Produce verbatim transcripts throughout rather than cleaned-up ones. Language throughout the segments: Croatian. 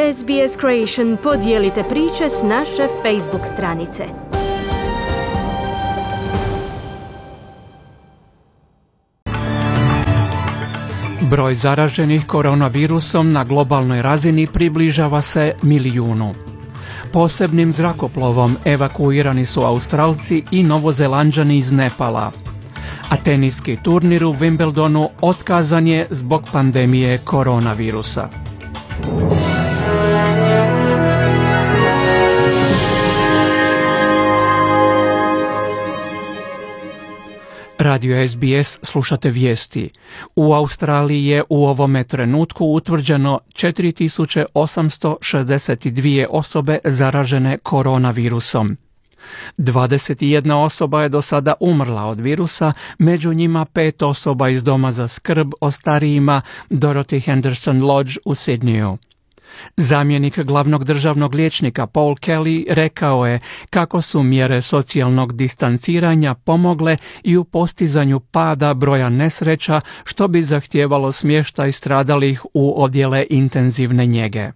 S B S Creation podijelite priče s naše Facebook stranice. Broj zaraženih koronavirusom na globalnoj razini približava se milijunu. Posebnim zrakoplovom evakuirani su Australci i Novozelanđani iz Nepala. A teniski turnir u Wimbledonu otkazan je zbog pandemije koronavirusa. Radio S B S slušate vijesti. U Australiji je u ovome trenutku utvrđeno četiri tisuće osamsto šezdeset dvije osobe zaražene koronavirusom. dvadeset jedna osoba je do sada umrla od virusa, među njima pet osoba iz doma za skrb o starijima Dorothy Henderson Lodge u Sidneyu. Zamjenik glavnog državnog liječnika Paul Kelly rekao je kako su mjere socijalnog distanciranja pomogle i u postizanju pada broja nesreća, što bi zahtijevalo smještaj stradalih u odjele intenzivne njege.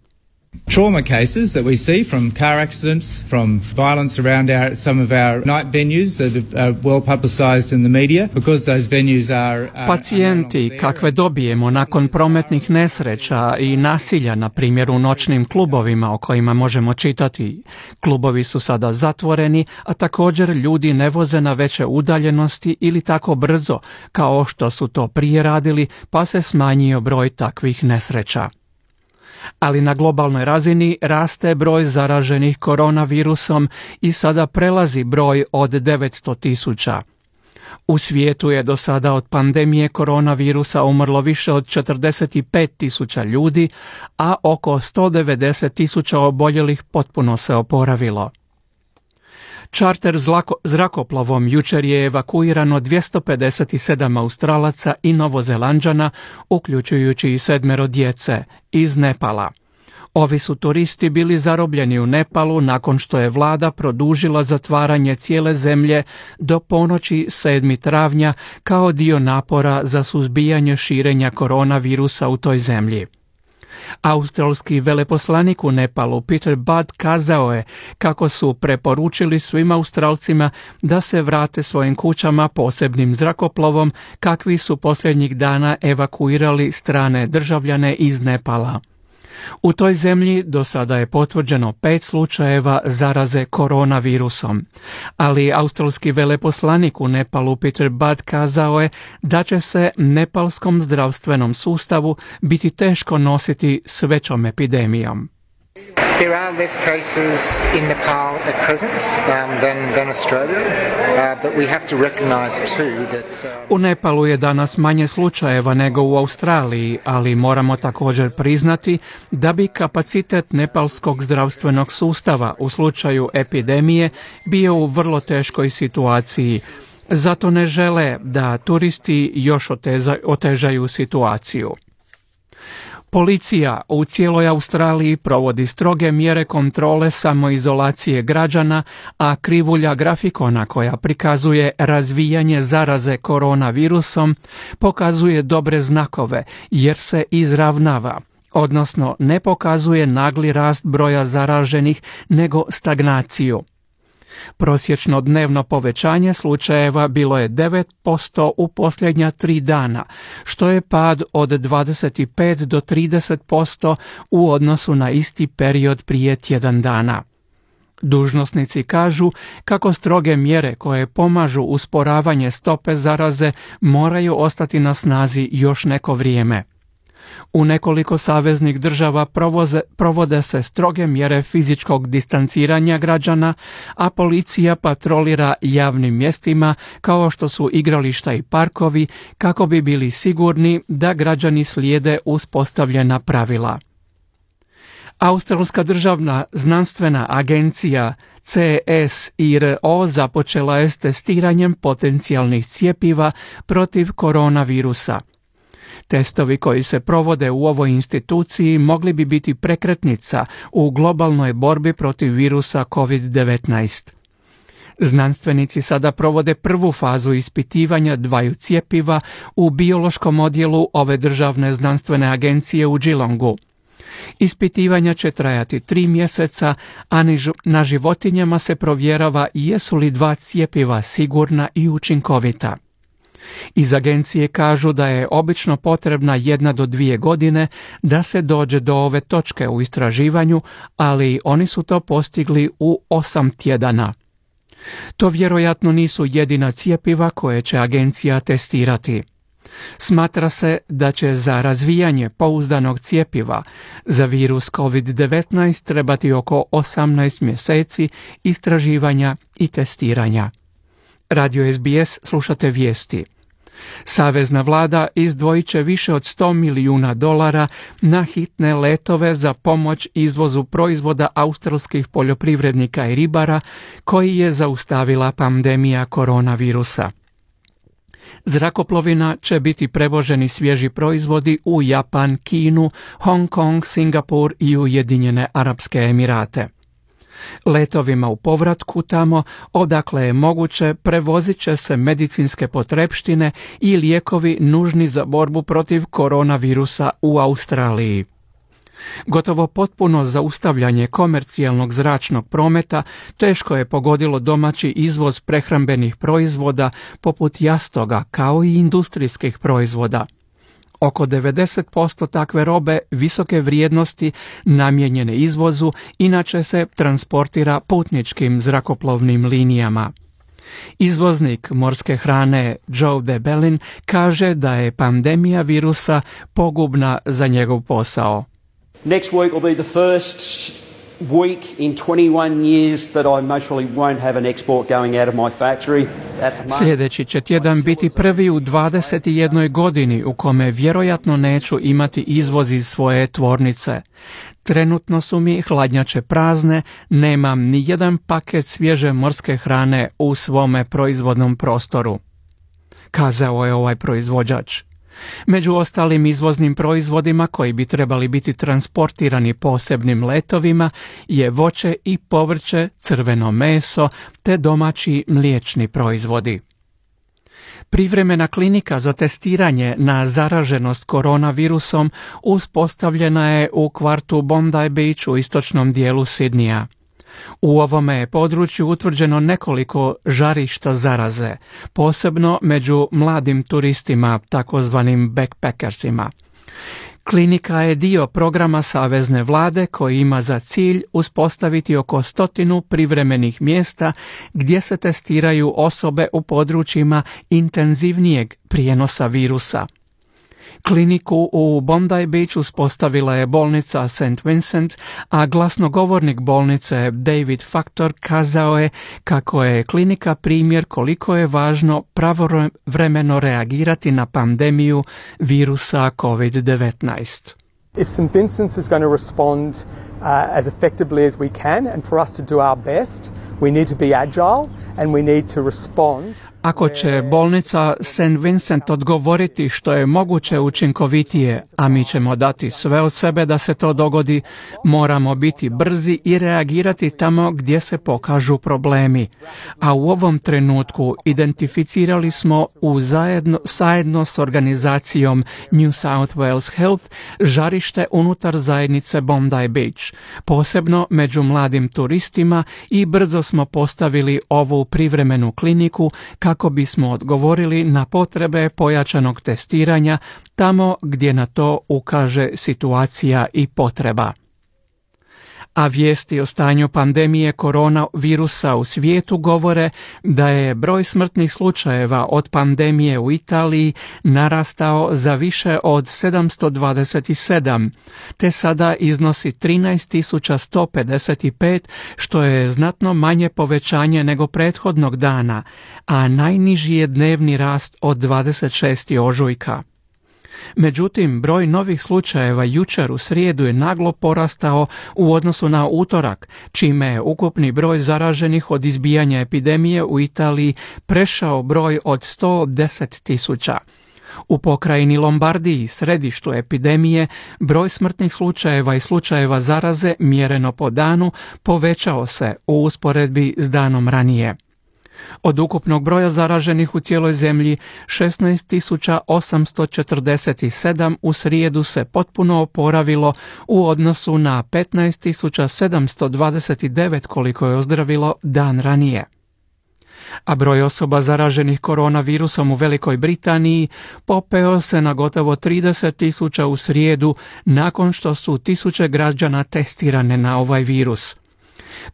Trauma cases that we see from car accidents, from violence around our, some of our night venues that are well publicized in the media, because those venues are... are Pacijenti kakve dobijemo nakon prometnih nesreća i nasilja, na primjer u noćnim klubovima o kojima možemo čitati. Klubovi su sada zatvoreni, a također ljudi ne voze na veće udaljenosti ili tako brzo kao što su to prije radili, pa se smanjio broj takvih nesreća. Ali na globalnoj razini raste broj zaraženih koronavirusom i sada prelazi broj od devetsto tisuća. U svijetu je do sada od pandemije koronavirusa umrlo više od četrdeset pet tisuća ljudi, a oko sto devedeset tisuća oboljelih potpuno se oporavilo. Čarter zrakoplovom jučer je evakuirano dvjesto pedeset sedam Australaca i Novozelanđana, uključujući i sedmero djece, iz Nepala. Ovi su turisti bili zarobljeni u Nepalu nakon što je vlada produžila zatvaranje cijele zemlje do ponoći sedmog travnja kao dio napora za suzbijanje širenja koronavirusa u toj zemlji. Australski veleposlanik u Nepalu Peter Budd kazao je kako su preporučili svim Australcima da se vrate svojim kućama posebnim zrakoplovom kakvi su posljednjih dana evakuirali strane državljane iz Nepala. U toj zemlji do sada je potvrđeno pet slučajeva zaraze koronavirusom, ali australski veleposlanik u Nepalu Peter Budd kazao je da će se nepalskom zdravstvenom sustavu biti teško nositi s većom epidemijom. There are less cases in Nepal at present um, than, than Australia, uh, but we have to recognize too that... Uh... U Nepalu je danas manje slučajeva nego u Australiji, ali moramo također priznati da bi kapacitet nepalskog zdravstvenog sustava u slučaju epidemije bio u vrlo teškoj situaciji. Zato ne žele da turisti još oteza, otežaju situaciju. Policija u cijeloj Australiji provodi stroge mjere kontrole samoizolacije građana, a krivulja grafikona koja prikazuje razvijanje zaraze koronavirusom pokazuje dobre znakove jer se izravnava, odnosno ne pokazuje nagli rast broja zaraženih nego stagnaciju. Prosječno dnevno povećanje slučajeva bilo je devet posto u posljednja tri dana, što je pad od dvadeset pet do trideset posto u odnosu na isti period prije tjedan dana. Dužnosnici kažu kako stroge mjere koje pomažu usporavanje stope zaraze moraju ostati na snazi još neko vrijeme. U nekoliko saveznih država provoze, provode se stroge mjere fizičkog distanciranja građana, a policija patrolira javnim mjestima kao što su igrališta i parkovi kako bi bili sigurni da građani slijede uspostavljena pravila. Australska državna znanstvena agencija C S I R O započela je s testiranjem potencijalnih cjepiva protiv koronavirusa. Testovi koji se provode u ovoj instituciji mogli bi biti prekretnica u globalnoj borbi protiv virusa kovid devetnaest. Znanstvenici sada provode prvu fazu ispitivanja dvaju cjepiva u biološkom odjelu ove državne znanstvene agencije u Geelongu. Ispitivanja će trajati tri mjeseca, a na životinjama se provjerava jesu li dva cjepiva sigurna i učinkovita. Iz agencije kažu da je obično potrebna jedna do dvije godine da se dođe do ove točke u istraživanju, ali oni su to postigli u osam tjedana. To vjerojatno nisu jedina cjepiva koje će agencija testirati. Smatra se da će za razvijanje pouzdanog cjepiva za virus kovid devetnaest trebati oko osamnaest mjeseci istraživanja i testiranja. Radio S B S slušate vijesti. Savezna vlada izdvojit će više od sto milijuna dolara na hitne letove za pomoć izvozu proizvoda australskih poljoprivrednika i ribara koji je zaustavila pandemija koronavirusa. Zrakoplovina će biti prevoženi svježi proizvodi u Japan, Kinu, Hong Kong, Singapur i Ujedinjene Arapske Emirate. Letovima u povratku tamo, odakle je moguće, prevozit će se medicinske potrepštine i lijekovi nužni za borbu protiv koronavirusa u Australiji. Gotovo potpuno zaustavljanje komercijalnog zračnog prometa teško je pogodilo domaći izvoz prehrambenih proizvoda poput jastoga kao i industrijskih proizvoda. Oko devedeset posto takve robe visoke vrijednosti namijenjene izvozu inače se transportira putničkim zrakoplovnim linijama. Izvoznik morske hrane Joe DeBellin kaže da je pandemija virusa pogubna za njegov posao. Next week will be the first week in twenty-one years that I most probably won't have an export going out of my factory. Sljedeći će tjedan biti prvi u dvadeset jednoj godini u kome vjerojatno neću imati izvoz iz svoje tvornice. Trenutno su mi hladnjače prazne, nemam ni jedan paket svježe morske hrane u svome proizvodnom prostoru, kazao je ovaj proizvođač. Među ostalim izvoznim proizvodima koji bi trebali biti transportirani posebnim letovima je voće i povrće, crveno meso te domaći mliječni proizvodi. Privremena klinika za testiranje na zaraženost koronavirusom uspostavljena je u kvartu Bondi Beach u istočnom dijelu Sidneya. U ovome je području utvrđeno nekoliko žarišta zaraze, posebno među mladim turistima, takozvanim backpackersima. Klinika je dio programa savezne vlade koji ima za cilj uspostaviti oko stotinu privremenih mjesta gdje se testiraju osobe u područjima intenzivnijeg prijenosa virusa. Kliniku u Bondi Beach uspostavila je bolnica Saint Vincent, a glasnogovornik bolnice David Factor kazao je kako je klinika primjer koliko je važno pravovremeno reagirati na pandemiju virusa kovid devetnaest. If Saint Vincent's is going to respond uh, as effectively as we can, and for us to do our best, we need to be agile and we need to respond. Ako će bolnica Saint Vincent odgovoriti što je moguće učinkovitije, a mi ćemo dati sve od sebe da se to dogodi, moramo biti brzi i reagirati tamo gdje se pokažu problemi. A u ovom trenutku identificirali smo u zajedno, zajedno s organizacijom New South Wales Health žarište unutar zajednice Bondi Beach, posebno među mladim turistima, i brzo smo postavili ovu privremenu kliniku kako kako bismo odgovorili na potrebe pojačanog testiranja tamo gdje na to ukaže situacija i potreba. A vijesti o stanju pandemije koronavirusa u svijetu govore da je broj smrtnih slučajeva od pandemije u Italiji narastao za više od sedamsto dvadeset sedam, te sada iznosi trinaest tisuća sto pedeset pet, što je znatno manje povećanje nego prethodnog dana, a najniži je dnevni rast od dvadeset šestog ožujka. Međutim, broj novih slučajeva jučer u srijedu je naglo porastao u odnosu na utorak, čime je ukupni broj zaraženih od izbijanja epidemije u Italiji prešao broj od sto deset tisuća. U pokrajini Lombardiji, središtu epidemije, broj smrtnih slučajeva i slučajeva zaraze mjereno po danu povećao se u usporedbi s danom ranije. Od ukupnog broja zaraženih u cijeloj zemlji, šesnaest tisuća osamsto četrdeset sedam u srijedu se potpuno oporavilo u odnosu na petnaest tisuća sedamsto dvadeset devet koliko je ozdravilo dan ranije. A broj osoba zaraženih koronavirusom u Velikoj Britaniji popeo se na gotovo trideset tisuća u srijedu nakon što su tisuće građana testirane na ovaj virus.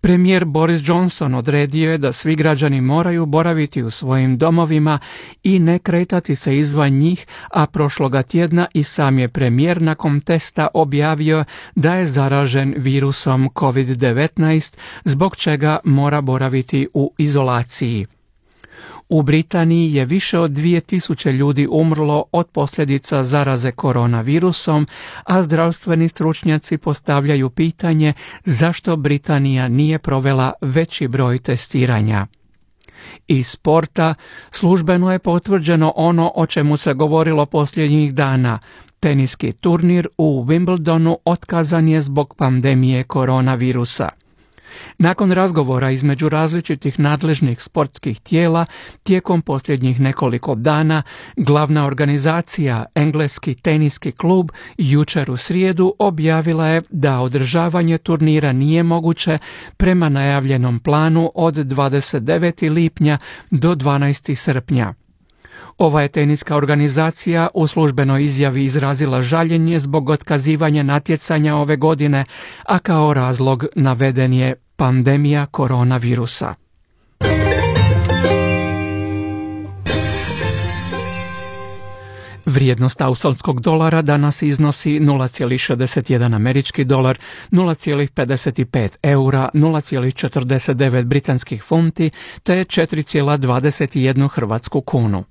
Premijer Boris Johnson odredio je da svi građani moraju boraviti u svojim domovima i ne kretati se izvan njih, a prošloga tjedna i sam je premijer nakon testa objavio da je zaražen virusom kovid devetnaest, zbog čega mora boraviti u izolaciji. U Britaniji je više od dvije tisuće ljudi umrlo od posljedica zaraze koronavirusom, a zdravstveni stručnjaci postavljaju pitanje zašto Britanija nije provela veći broj testiranja. Iz sporta službeno je potvrđeno ono o čemu se govorilo posljednjih dana. Teniski turnir u Wimbledonu otkazan je zbog pandemije koronavirusa. Nakon razgovora između različitih nadležnih sportskih tijela tijekom posljednjih nekoliko dana, glavna organizacija Engleski teniski klub jučer u srijedu objavila je da održavanje turnira nije moguće prema najavljenom planu od dvadeset devetog lipnja do dvanaestog srpnja. Ova je teniska organizacija u službenoj izjavi izrazila žaljenje zbog otkazivanja natjecanja ove godine, a kao razlog naveden je pandemija koronavirusa. Vrijednost australskog dolara danas iznosi nula zarez šezdeset jedan američki dolar, nula zarez pedeset pet eura, nula zarez četrdeset devet britanskih funti te četiri zarez dvadeset jedan hrvatsku kunu.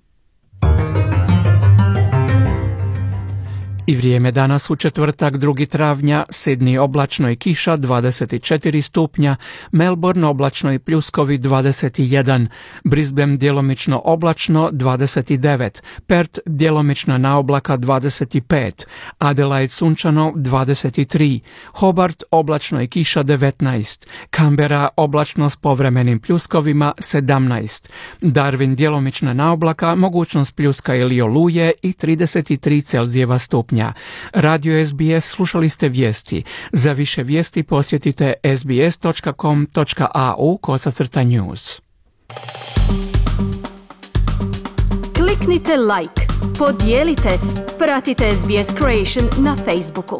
I vrijeme danas u četvrtak drugi travnja, Sydney oblačno i kiša dvadeset četiri stupnja, Melbourne oblačno i pljuskovi dvadeset jedan, Brisbane djelomično oblačno dvadeset devet, Perth djelomično na oblaka dvadeset pet, Adelaide sunčano dvadeset tri, Hobart oblačno i kiša devetnaest, Canberra oblačno s povremenim pljuskovima sedamnaest, Darwin djelomično na oblaka, mogućnost pljuska ili oluje i trideset tri Celzijeva stupnja. Radio S B S, slušali ste vijesti. Za više vijesti posjetite s b s dot com dot a u kosacrta news. Kliknite like, podijelite, pratite S B S Creation na Facebooku.